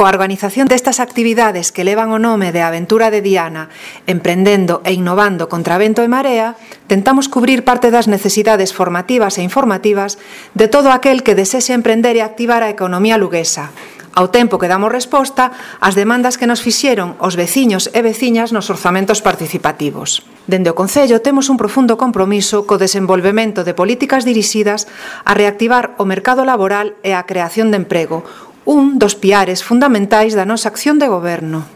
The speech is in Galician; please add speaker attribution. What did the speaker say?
Speaker 1: Coa organización destas actividades que levan o nome de Aventura de Diana, emprendendo e innovando contra vento e marea, tentamos cubrir parte das necesidades formativas e informativas de todo aquel que desexe emprender e activar a economía luguesa, ao tempo que damos resposta ás demandas que nos fixeron os veciños e veciñas nos orzamentos participativos. Dende o Concello temos un profundo compromiso co desenvolvemento de políticas dirixidas a reactivar o mercado laboral e a creación de emprego, un dos piares fundamentais da nosa acción de goberno.